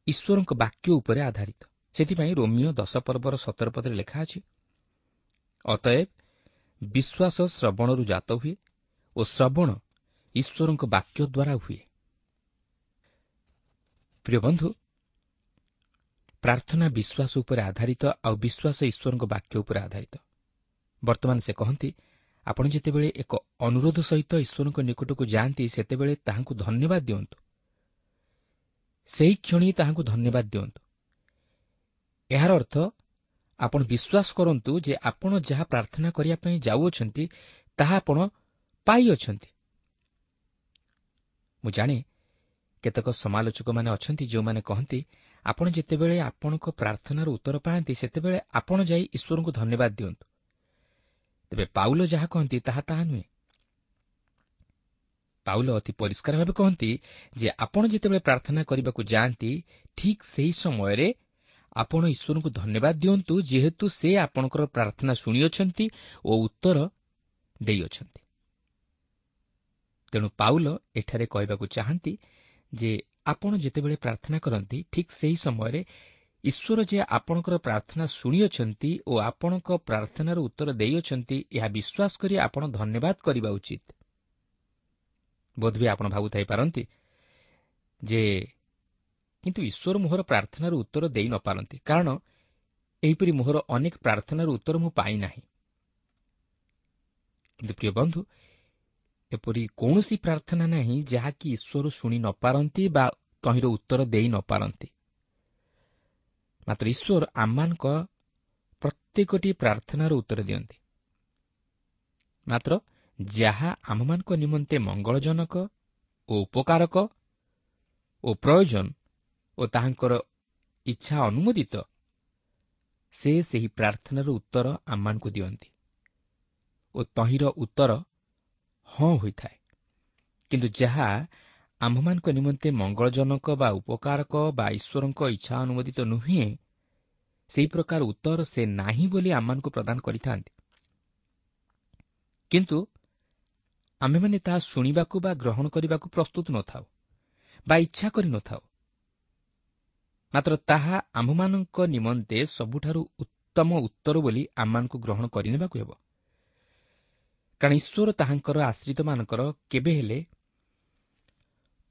ଈଶ୍ୱରଙ୍କ ବାକ୍ୟ ଉପରେ ଆଧାରିତ। ସେଥିପାଇଁ ରୋମିଓ ଦଶ ପର୍ବର ସତର ପଦରେ ଲେଖା ଅଛି, ଅତଏବ ବିଶ୍ୱାସ ଶ୍ରବଣରୁ ଜାତ ହୁଏ ଓ ଶ୍ରବଣ ଈଶ୍ୱରଙ୍କ ବାକ୍ୟ ଦ୍ୱାରା ହୁଏ। ପ୍ରିୟ ବନ୍ଧୁ, ପ୍ରାର୍ଥନା ବିଶ୍ୱାସ ଉପରେ ଆଧାରିତ ଆଉ ବିଶ୍ୱାସ ଈଶ୍ୱରଙ୍କ ବାକ୍ୟ ଉପରେ ଆଧାରିତ। ବର୍ତ୍ତମାନ ସେ କହନ୍ତି, ଆପଣ ଯେତେବେଳେ ଏକ ଅନୁରୋଧ ସହିତ ଈଶ୍ୱରଙ୍କ ନିକଟକୁ ଯାଆନ୍ତି, ସେତେବେଳେ ତାହାଙ୍କୁ ଧନ୍ୟବାଦ ଦିଅନ୍ତୁ। ସେହି କ୍ଷଣି ତାହାଙ୍କୁ ଧନ୍ୟବାଦ ଦିଅନ୍ତୁ। ଏହାର ଅର୍ଥ ଆପଣ ବିଶ୍ୱାସ କରନ୍ତୁ ଯେ ଆପଣ ଯାହା ପ୍ରାର୍ଥନା କରିବା ପାଇଁ ଯାଉଅଛନ୍ତି, ତାହା ଆପଣ ପାଇଅଛନ୍ତି। ମୁଁ ଜାଣେ କେତେକ ସମାଲୋଚକମାନେ ଅଛନ୍ତି ଯେଉଁମାନେ କହନ୍ତି, ଆପଣ ଯେତେବେଳେ ଆପଣଙ୍କ ପ୍ରାର୍ଥନାର ଉତ୍ତର ପାଆନ୍ତି, ସେତେବେଳେ ଆପଣ ଯାଇ ଈଶ୍ୱରଙ୍କୁ ଧନ୍ୟବାଦ ଦିଅନ୍ତୁ। ତେବେ ପାଉଲ ଯାହା କହନ୍ତି ତାହା ତାହା ନୁହେଁ। ପାଉଲ ଅତି ପରିଷ୍କାର ଭାବେ କହନ୍ତି ଯେ ଆପଣ ଯେତେବେଳେ ପ୍ରାର୍ଥନା କରିବାକୁ ଯାଆନ୍ତି, ଠିକ୍ ସେହି ସମୟରେ ଆପଣ ଈଶ୍ୱରଙ୍କୁ ଧନ୍ୟବାଦ ଦିଅନ୍ତୁ, ଯେହେତୁ ସେ ଆପଣଙ୍କର ପ୍ରାର୍ଥନା ଶୁଣିଅଛନ୍ତି ଓ ଉତ୍ତର ଦେଇଅଛନ୍ତି। ତେଣୁ ପାଉଲ ଏଠାରେ କହିବାକୁ ଚାହାନ୍ତି ଯେ ଆପଣ ଯେତେବେଳେ ପ୍ରାର୍ଥନା କରନ୍ତି, ଠିକ୍ ସେହି ସମୟରେ ଈଶ୍ୱର ଯେ ଆପଣଙ୍କର ପ୍ରାର୍ଥନା ଶୁଣିଅଛନ୍ତି ଓ ଆପଣଙ୍କ ପ୍ରାର୍ଥନାର ଉତ୍ତର ଦେଇଅଛନ୍ତି, ଏହା ବିଶ୍ୱାସ କରି ଆପଣ ଧନ୍ୟବାଦ କରିବା ଉଚିତ। ବୋଧହୁଏ ଆପଣ ଭାବୁଥାଇପାରନ୍ତି ଯେ କିନ୍ତୁ ଈଶ୍ୱର ମୋହର ପ୍ରାର୍ଥନାର ଉତ୍ତର ଦେଇ ନପାରନ୍ତି, କାରଣ ଏହିପରି ମୋହର ଅନେକ ପ୍ରାର୍ଥନାର ଉତ୍ତର ମୁଁ ପାଇନାହିଁ। କିନ୍ତୁ ପ୍ରିୟ ବନ୍ଧୁ, ଏପରି କୌଣସି ପ୍ରାର୍ଥନା ନାହିଁ ଯାହାକି ଈଶ୍ୱର ଶୁଣି ନପାରନ୍ତି ବା ତହିଁର ଉତ୍ତର ଦେଇ ନପାରନ୍ତି। ମାତ୍ର ଈଶ୍ୱର ଆମମାନଙ୍କ ପ୍ରତ୍ୟେକଟି ପ୍ରାର୍ଥନାର ଉତ୍ତର ଦିଅନ୍ତି। ମାତ୍ର ଯାହା ଆମମାନଙ୍କ ନିମନ୍ତେ ମଙ୍ଗଳଜନକ ଓ ଉପକାରକ ଓ ପ୍ରୟୋଜନ ଓ ତାହାଙ୍କର ଇଚ୍ଛା ଅନୁମୋଦିତ, ସେ ସେହି ପ୍ରାର୍ଥନାର ଉତ୍ତର ଆମମାନଙ୍କୁ ଦିଅନ୍ତି ଓ ତହିଁର ଉତ୍ତର ହଁ ହୋଇଥାଏ। କିନ୍ତୁ ଯାହା ଆମ୍ଭମାନଙ୍କ ନିମନ୍ତେ ମଙ୍ଗଳଜନକ ବା ଉପକାରକ ବା ଈଶ୍ୱରଙ୍କ ଇଚ୍ଛା ଅନୁମୋଦିତ ନୁହେଁ, ସେହି ପ୍ରକାର ଉତ୍ତର ସେ ନାହିଁ ବୋଲି ଆମମାନଙ୍କୁ ପ୍ରଦାନ କରିଥାନ୍ତି। କିନ୍ତୁ ଆମ୍ଭେମାନେ ତାହା ଶୁଣିବାକୁ ବା ଗ୍ରହଣ କରିବାକୁ ପ୍ରସ୍ତୁତ ନଥାଉ ବା ଇଚ୍ଛା କରିନଥାଉ। ମାତ୍ର ତାହା ଆମ୍ଭମାନଙ୍କ ନିମନ୍ତେ ସବୁଠାରୁ ଉତ୍ତମ ଉତ୍ତର ବୋଲି ଆମମାନଙ୍କୁ ଗ୍ରହଣ କରିନେବାକୁ ହେବ, କାରଣ ଈଶ୍ୱର ତାହାଙ୍କର ଆଶ୍ରିତମାନଙ୍କର କେବେ ହେଲେ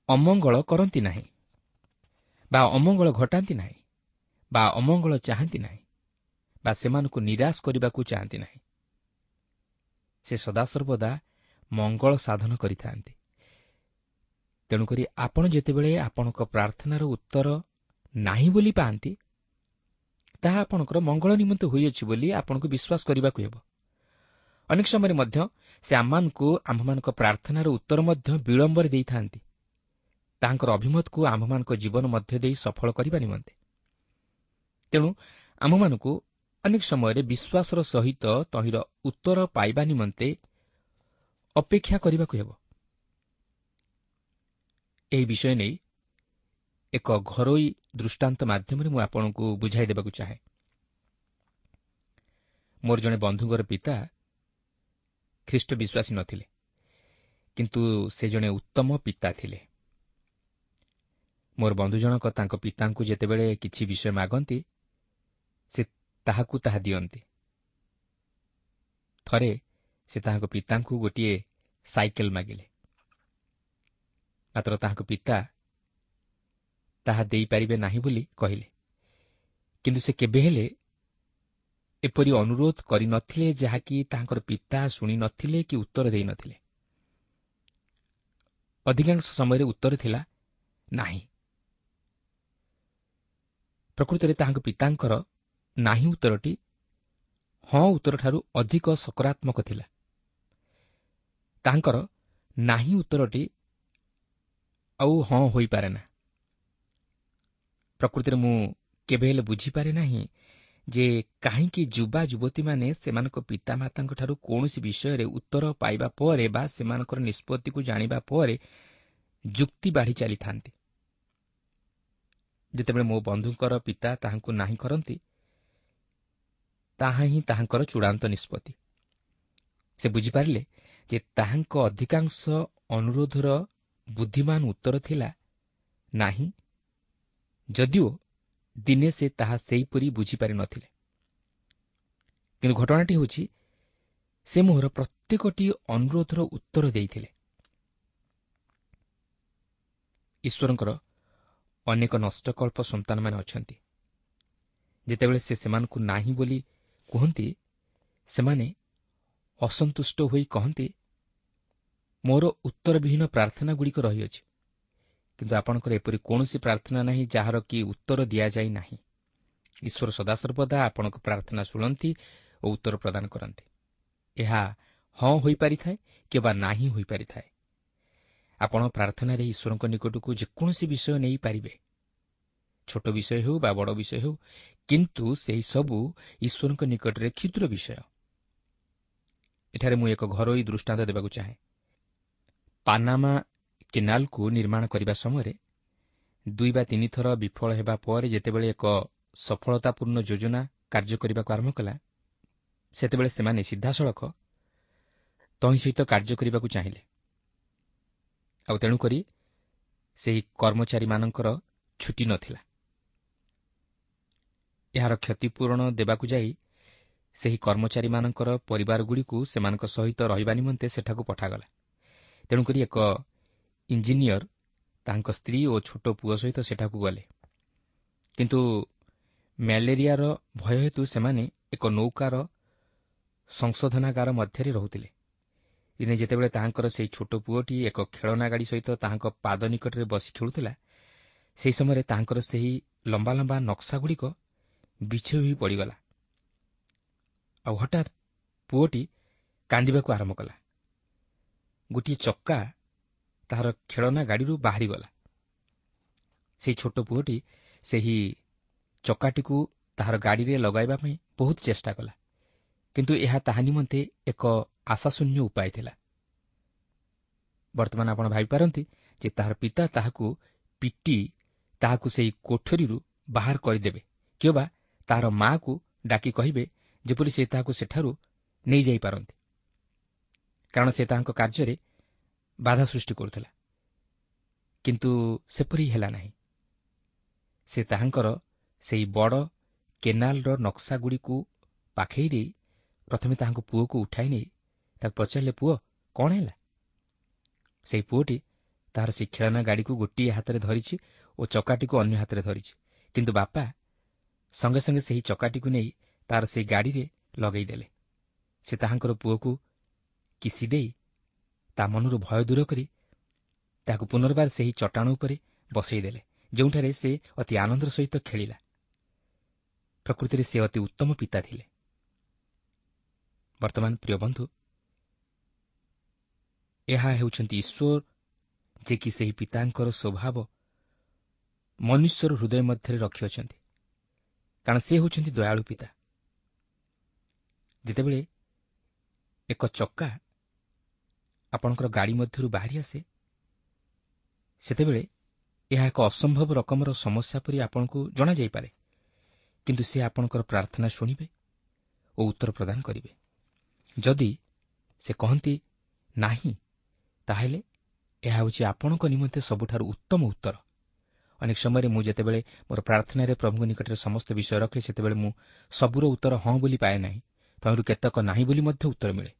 ଅମଙ୍ଗଳ କରନ୍ତି ନାହିଁ ବା ଅମଙ୍ଗଳ ଘଟାନ୍ତି ନାହିଁ ବା ଅମଙ୍ଗଳ ଚାହାନ୍ତି ନାହିଁ ବା ସେମାନଙ୍କୁ ନିରାଶ କରିବାକୁ ଚାହାନ୍ତି ନାହିଁ। ସେ ସଦାସର୍ବଦା ମଙ୍ଗଳ ସାଧନ କରିଥାନ୍ତି। ତେଣୁକରି ଆପଣ ଯେତେବେଳେ ଆପଣଙ୍କ ପ୍ରାର୍ଥନାର ଉତ୍ତର ନାହିଁ ବୋଲି ପାଆନ୍ତି, ତାହା ଆପଣଙ୍କର ମଙ୍ଗଳ ନିମନ୍ତେ ହୋଇଅଛି ବୋଲି ଆପଣଙ୍କୁ ବିଶ୍ୱାସ କରିବାକୁ ହେବ। ଅନେକ ସମୟରେ ମଧ୍ୟ ସେ ଆମମାନଙ୍କୁ ଆମ୍ଭମାନଙ୍କ ପ୍ରାର୍ଥନାର ଉତ୍ତର ମଧ୍ୟ ବିଳମ୍ବରେ ଦେଇଥାନ୍ତି, ତାହାଙ୍କର ଅଭିମତକୁ ଆମ୍ଭମାନଙ୍କ ଜୀବନ ମଧ୍ୟ ଦେଇ ସଫଳ କରିବା ନିମନ୍ତେ। ତେଣୁ ଆମ୍ଭମାନଙ୍କୁ ଅନେକ ସମୟରେ ବିଶ୍ୱାସର ସହିତ ତହିଁର ଉତ୍ତର ପାଇବା ନିମନ୍ତେ ଅପେକ୍ଷା କରିବାକୁ ହେବ। ଏହି ବିଷୟ ନେଇ ଏକ ଘରୋଇ ଦୃଷ୍ଟାନ୍ତ ମାଧ୍ୟମରେ ମୁଁ ଆପଣଙ୍କୁ ବୁଝାଇ ଦେବାକୁ ଚାହେଁ। ମୋର ଜଣେ ବନ୍ଧୁଙ୍କର ପିତା ଖ୍ରୀଷ୍ଟ ବିଶ୍ୱାସୀ ନଥିଲେ, କିନ୍ତୁ ସେ ଜଣେ ଉତ୍ତମ ପିତା ଥିଲେ। ମୋର ବନ୍ଧୁ ଜଣକ ତାଙ୍କ ପିତାଙ୍କୁ ଯେତେବେଳେ କିଛି ବିଷୟ ମାଗନ୍ତି, ସେ ତାହାକୁ ତାହା ଦିଅନ୍ତି। ଥରେ ସେ ତାହାଙ୍କ ପିତାଙ୍କୁ ଗୋଟିଏ ସାଇକେଲ ମାଗିଲେ, ମାତ୍ର ତାହାଙ୍କ ପିତା ତାହା ଦେଇପାରିବେ ନାହିଁ ବୋଲି କହିଲେ। କିନ୍ତୁ ସେ କେବେ ହେଲେ ଏପରି ଅନୁରୋଧ କରିନଥିଲେ ଯାହାକି ତାହାଙ୍କର ପିତା ଶୁଣି ନଥିଲେ କି ଉତ୍ତର ଦେଇନଥିଲେ। ଅଧିକାଂଶ ସମୟରେ ଉତ୍ତର ଥିଲା ନାହିଁ। ପ୍ରକୃତରେ ତାହାଙ୍କ ପିତାଙ୍କର ନାହିଁ ଉତ୍ତରଟି ହଁ ଉତ୍ତରଠାରୁ ଅଧିକ ସକାରାତ୍ମକ ଥିଲା। ତାଙ୍କର ନାହିଁ ଉତ୍ତରଟି ଆଉ ହଁ ହୋଇପାରେ ନା। ପ୍ରକୃତିରେ ମୁଁ କେବେ ହେଲେ ବୁଝିପାରେ ନାହିଁ ଯେ କାହିଁକି ଯୁବା ଯୁବତୀମାନେ ସେମାନଙ୍କ ପିତାମାତାଙ୍କଠାରୁ କୌଣସି ବିଷୟରେ ଉତ୍ତର ପାଇବା ପରେ ବା ସେମାନଙ୍କର ନିଷ୍ପତ୍ତିକୁ ଜାଣିବା ପରେ ଯୁକ୍ତି ବାଢ଼ି ଚାଲିଥାନ୍ତି। ଯେତେବେଳେ ମୋ ବନ୍ଧୁଙ୍କର ପିତା ତାହାଙ୍କୁ ନାହିଁ କରନ୍ତି, ତାହା ହିଁ ତାହାଙ୍କର ଚୂଡ଼ାନ୍ତ ନିଷ୍ପତ୍ତି। ସେ ବୁଝିପାରିଲେ ଯେ ତାହାଙ୍କ ଅଧିକାଂଶ ଅନୁରୋଧର ବୁଦ୍ଧିମାନ ଉତ୍ତର ଥିଲା ନାହିଁ, ଯଦିଓ ଦିନେ ସେ ତାହା ସେହିପରି ବୁଝିପାରିନଥିଲେ। କିନ୍ତୁ ଘଟଣାଟି ହେଉଛି, ସେ ମୋହର ପ୍ରତ୍ୟେକଟି ଅନୁରୋଧର ଉତ୍ତର ଦେଇଥିଲେ। ଈଶ୍ୱରଙ୍କର ଅନେକ ନଷ୍ଟକଳ୍ପ ସନ୍ତାନମାନେ ଅଛନ୍ତି। ଯେତେବେଳେ ସେ ସେମାନଙ୍କୁ ନାହିଁ ବୋଲି କୁହନ୍ତି, ସେମାନେ ଅସନ୍ତୁଷ୍ଟ ହୋଇ କହନ୍ତି, ମୋର ଉତ୍ତରବିହୀନ ପ୍ରାର୍ଥନାଗୁଡ଼ିକ ରହିଅଛି। କିନ୍ତୁ ଆପଣଙ୍କର ଏପରି କୌଣସି ପ୍ରାର୍ଥନା ନାହିଁ ଯାହାର କି ଉତ୍ତର ଦିଆଯାଇ ନାହିଁ। ଈଶ୍ୱର ସଦାସର୍ବଦା ଆପଣଙ୍କ ପ୍ରାର୍ଥନା ଶୁଣନ୍ତି ଓ ଉତ୍ତର ପ୍ରଦାନ କରନ୍ତି। ଏହା ହଁ ହୋଇପାରିଥାଏ କିମ୍ବା ନାହିଁ ହୋଇପାରିଥାଏ। ଆପଣ ପ୍ରାର୍ଥନାରେ ଈଶ୍ୱରଙ୍କ ନିକଟକୁ ଯେକୌଣସି ବିଷୟ ନେଇପାରିବେ, ଛୋଟ ବିଷୟ ହେଉ ବା ବଡ଼ ବିଷୟ ହେଉ, କିନ୍ତୁ ସେହି ସବୁ ଈଶ୍ୱରଙ୍କ ନିକଟରେ କ୍ଷୁଦ୍ର ବିଷୟ। ଏଠାରେ ମୁଁ ଏକ ଘରୋଇ ଦୃଷ୍ଟାନ୍ତ ଦେବାକୁ ଚାହେଁ। ପାନାମା କେନାଲକୁ ନିର୍ମାଣ କରିବା ସମୟରେ ଦୁଇ ବା ତିନି ଥର ବିଫଳ ହେବା ପରେ ଯେତେବେଳେ ଏକ ସଫଳତାପୂର୍ଣ୍ଣ ଯୋଜନା କାର୍ଯ୍ୟ କରିବାକୁ ଆରମ୍ଭ କଲା, ସେତେବେଳେ ସେମାନେ ସିଧାସଳଖ ତହିଁ ସହିତ କାର୍ଯ୍ୟ କରିବାକୁ ଚାହିଁଲେ। ଆଉ ତେଣୁକରି ସେହି କର୍ମଚାରୀମାନଙ୍କର ଛୁଟି ନଥିଲା। ଏହାର କ୍ଷତିପୂରଣ ଦେବାକୁ ଯାଇ ସେହି କର୍ମଚାରୀମାନଙ୍କର ପରିବାରଗୁଡ଼ିକୁ ସେମାନଙ୍କ ସହିତ ରହିବା ନିମନ୍ତେ ସେଠାକୁ ପଠାଗଲା। ତେଣୁକରି ଏକ ଇଞ୍ଜିନିୟର ତାଙ୍କ ସ୍ତ୍ରୀ ଓ ଛୋଟ ପୁଅ ସହିତ ସେଠାକୁ ଗଲେ। କିନ୍ତୁ ମ୍ୟାଲେରିଆର ଭୟ ହେତୁ ସେମାନେ ଏକ ନୌକାର ସଂଶୋଧନାଗାର ମଧ୍ୟରେ ରହୁଥିଲେ। ଦିନେ ଯେତେବେଳେ ତାହାଙ୍କର ସେହି ଛୋଟ ପୁଅଟି ଏକ ଖେଳନା ଗାଡ଼ି ସହିତ ତାହାଙ୍କ ପାଦ ନିକଟରେ ବସି ଖେଳୁଥିଲା, ସେହି ସମୟରେ ତାହାଙ୍କର ସେହି ଲମ୍ବା ଲମ୍ବା ନକ୍ସାଗୁଡ଼ିକ ବିଛେଇ ହୋଇ ପଡ଼ିଗଲା। ଆଉ ହଠାତ୍ ପୁଅଟି କାନ୍ଦିବାକୁ ଆରମ୍ଭ କଲା। ଗୋଟିଏ ଚକା ତାହାର ଖେଳନା ଗାଡ଼ିରୁ ବାହାରିଗଲା। ସେହି ଛୋଟ ପୁଅଟି ସେହି ଚକାଟିକୁ ତାହାର ଗାଡ଼ିରେ ଲଗାଇବା ପାଇଁ ବହୁତ ଚେଷ୍ଟା କଲା, କିନ୍ତୁ ଏହା ତାହା ନିମନ୍ତେ ଏକ ଆଶାଶୂନ୍ୟ ଉପାୟ ଥିଲା। ବର୍ତ୍ତମାନ ଆପଣ ଭାବିପାରନ୍ତି ଯେ ତାହାର ପିତା ତାହାକୁ ପିଟି ତାହାକୁ ସେହି କୋଠରୀରୁ ବାହାର କରିଦେବେ କିମ୍ବା ତାହାର ମାଆକୁ ଡାକି କହିବେ ଯେପରି ସେ ତାହାକୁ ସେଠାରୁ ନେଇଯାଇପାରନ୍ତି, କାରଣ ସେ ତାହାଙ୍କ କାର୍ଯ୍ୟରେ ବାଧା ସୃଷ୍ଟି କରୁଥିଲା। କିନ୍ତୁ ସେପରି ହେଲା ନାହିଁ। ସେ ତାହାଙ୍କର ସେହି ବଡ଼ କେନାଲର ନକ୍ସାଗୁଡ଼ିକୁ ପାଖେଇ ଦେଇ ପ୍ରଥମେ ତାହାଙ୍କ ପୁଅକୁ ଉଠାଇ ନେଇ ତାକୁ ପଚାରିଲେ, ପୁଅ, କ'ଣ ହେଲା? ସେହି ପୁଅଟି ତାହାର ସେହି ଖେଳନା ଗାଡ଼ିକୁ ଗୋଟିଏ ହାତରେ ଧରିଛି ଓ ଚକାଟିକୁ ଅନ୍ୟ ହାତରେ ଧରିଛି, କିନ୍ତୁ ବାପା ସଙ୍ଗେ ସଙ୍ଗେ ସେହି ଚକାଟିକୁ ନେଇ ତାର ସେହି ଗାଡ଼ିରେ ଲଗାଇଦେଲେ। ସେ ତାହାଙ୍କର ପୁଅକୁ କିସି ଦେଇ ତା ମନରୁ ଭୟ ଦୂର କରି ତାହାକୁ ପୁନର୍ବାର ସେହି ଚଟାଣ ଉପରେ ବସାଇଦେଲେ, ଯେଉଁଠାରେ ସେ ଅତି ଆନନ୍ଦର ସହିତ ଖେଳିଲା। ପ୍ରକୃତିରେ ସେ ଅତି ଉତ୍ତମ ପିତା ଥିଲେ। ବର୍ତ୍ତମାନ ପ୍ରିୟ ବନ୍ଧୁ, ଏହା ହେଉଛନ୍ତି ଈଶ୍ୱର, ଯେ କି ସେହି ପିତାଙ୍କର ସ୍ୱଭାବ ମନୁଷ୍ୟର ହୃଦୟ ମଧ୍ୟରେ ରଖିଅଛନ୍ତି, କାରଣ ସେ ହେଉଛନ୍ତି ଦୟାଳୁ ପିତା। ଯେତେବେଳେ ଏକ ଚକା ଆପଣଙ୍କର ଗାଡ଼ି ମଧ୍ୟରୁ ବାହାରି ଆସେ, ସେତେବେଳେ ଏହା ଏକ ଅସମ୍ଭବ ରକମର ସମସ୍ୟା ପରି ଆପଣଙ୍କୁ ଜଣାଯାଇପାରେ, କିନ୍ତୁ ସେ ଆପଣଙ୍କର ପ୍ରାର୍ଥନା ଶୁଣିବେ ଓ ଉତ୍ତର ପ୍ରଦାନ କରିବେ। ଯଦି ସେ କହନ୍ତି ନାହିଁ, ତାହେଲେ ଏହା ହେଉଛି ଆପଣଙ୍କ ନିମନ୍ତେ ସବୁଠାରୁ ଉତ୍ତମ ଉତ୍ତର। ଅନେକ ସମୟରେ ମୁଁ ଯେତେବେଳେ ମୋର ପ୍ରାର୍ଥନାରେ ପ୍ରଭୁଙ୍କ ନିକଟରେ ସମସ୍ତ ବିଷୟ ରଖେ, ସେତେବେଳେ ମୁଁ ସବୁର ଉତ୍ତର ହଁ ବୋଲି ପାଏ ନାହିଁ, ତହିଁରୁ କେତେକ ନାହିଁ ବୋଲି ମଧ୍ୟ ଉତ୍ତର ମିଳେ।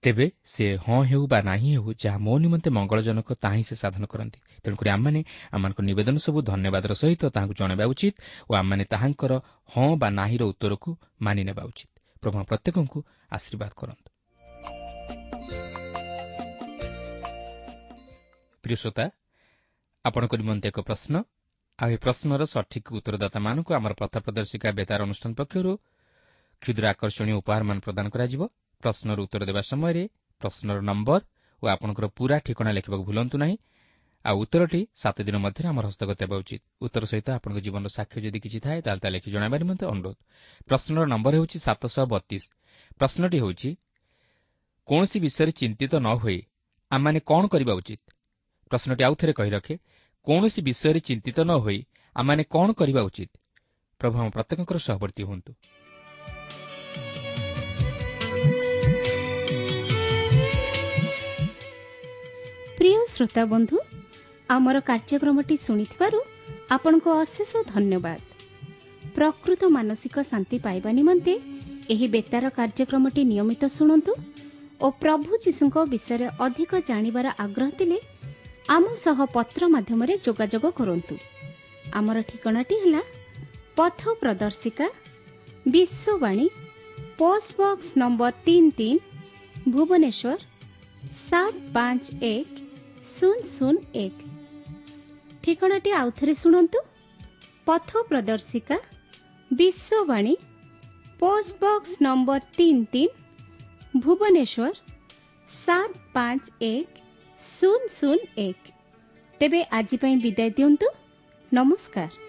ତେବେ ସେ ହଁ ହେଉ ବା ନାହିଁ ହେଉ, ଯାହା ମୋ ନିମନ୍ତେ ମଙ୍ଗଳଜନକ ତାହା ହିଁ ସେ ସାଧନ କରନ୍ତି। ତେଣୁକରି ଆମମାନେ ଆମମାନଙ୍କ ନିବେଦନ ସବୁ ଧନ୍ୟବାଦର ସହିତ ତାହାଙ୍କୁ ଜଣାଇବା ଉଚିତ ଓ ଆମମାନେ ତାହାଙ୍କର ହଁ ବା ନାହିଁର ଉତ୍ତରକୁ ମାନି ନେବା ଉଚିତ। ପ୍ରଭୁ ପ୍ରତ୍ୟେକଙ୍କୁ ଆଶୀର୍ବାଦ କରନ୍ତୁ। ପ୍ରିୟ ଶ୍ରୋତା, ଆପଣଙ୍କ ନିମନ୍ତେ ଏକ ପ୍ରଶ୍ନ, ଆଉ ଏହି ପ୍ରଶ୍ନର ସଠିକ୍ ଉତ୍ତରଦାତାମାନଙ୍କୁ ଆମର ପଥ ପ୍ରଦର୍ଶିକା ବେତାର ଅନୁଷ୍ଠାନ ପକ୍ଷରୁ କ୍ଷୁଦ୍ର ଆକର୍ଷଣୀୟ ଉପହାରମାନ ପ୍ରଦାନ କରାଯିବ। ପ୍ରଶ୍ନର ଉତ୍ତର ଦେବା ସମୟରେ ପ୍ରଶ୍ନର ନମ୍ବର ଓ ଆପଣଙ୍କର ପୁରା ଠିକଣା ଲେଖିବାକୁ ଭୁଲନ୍ତୁ ନାହିଁ। ଆଉ ଉତ୍ତରଟି ସାତ ଦିନ ମଧ୍ୟରେ ଆମର ହସ୍ତଗତ ହେବା ଉଚିତ। ଉତ୍ତର ସହିତ ଆପଣଙ୍କ ଜୀବନର ସାକ୍ଷ୍ୟ ଯଦି କିଛି ଥାଏ, ତାହେଲେ ତା ଲେଖି ଜଣାଇବା ନିମନ୍ତେ ଅନୁରୋଧ। ପ୍ରଶ୍ନର ନମ୍ବର ହେଉଛି ସାତଶହ ବତିଶ। ପ୍ରଶ୍ନଟି ହେଉଛି, କୌଣସି ବିଷୟରେ ଚିନ୍ତିତ ନ ହୋଇ ଆମମାନେ କ'ଣ କରିବା ଉଚିତ? ପ୍ରଶ୍ନଟି ଆଉ ଥରେ କହି ରଖେ, କୌଣସି ବିଷୟରେ ଚିନ୍ତିତ ନ ହୋଇ ଆମମାନେ କ'ଣ କରିବା ଉଚିତ? ପ୍ରଭୁ ଆମ ପ୍ରତ୍ୟେକଙ୍କର ସହବର୍ତ୍ତୀ ହୁଅନ୍ତୁ।
ପ୍ରିୟ ଶ୍ରୋତା ବନ୍ଧୁ, ଆମର କାର୍ଯ୍ୟକ୍ରମଟି ଶୁଣିଥିବାରୁ ଆପଣଙ୍କୁ ଅଶେଷ ଧନ୍ୟବାଦ। ପ୍ରକୃତ ମାନସିକ ଶାନ୍ତି ପାଇବା ନିମନ୍ତେ ଏହି ବେତାର କାର୍ଯ୍ୟକ୍ରମଟି ନିୟମିତ ଶୁଣନ୍ତୁ ଓ ପ୍ରଭୁ ଯୀଶୁଙ୍କ ବିଷୟରେ ଅଧିକ ଜାଣିବାର ଆଗ୍ରହ ଥିଲେ ଆମ ସହ ପତ୍ର ମାଧ୍ୟମରେ ଯୋଗାଯୋଗ କରନ୍ତୁ। ଆମର ଠିକଣାଟି ହେଲା ପଥ ପ୍ରଦର୍ଶିକା, ବିଶ୍ୱବାଣୀ, ପୋଷ୍ଟ ବକ୍ସ ନମ୍ବର ତିନି ତିନି, ଭୁବନେଶ୍ୱର ସାତ ପାଞ୍ଚ ଏକ ଶୂନ ଶୂନ ଏକ। ଠିକଣାଟି ଆଉଥରେ ଶୁଣନ୍ତୁ, ପଥ ପ୍ରଦର୍ଶିକା, ବିଶ୍ୱବାଣୀ, ପୋଷ୍ଟ ବକ୍ସ ନମ୍ବର ତିନି ତିନି, ଭୁବନେଶ୍ୱର ସାତ ପାଞ୍ଚ ଏକ ଶୂନ ଶୂନ ଏକ। ତେବେ ଆଜି ପାଇଁ ବିଦାୟ ଦିଅନ୍ତୁ। ନମସ୍କାର।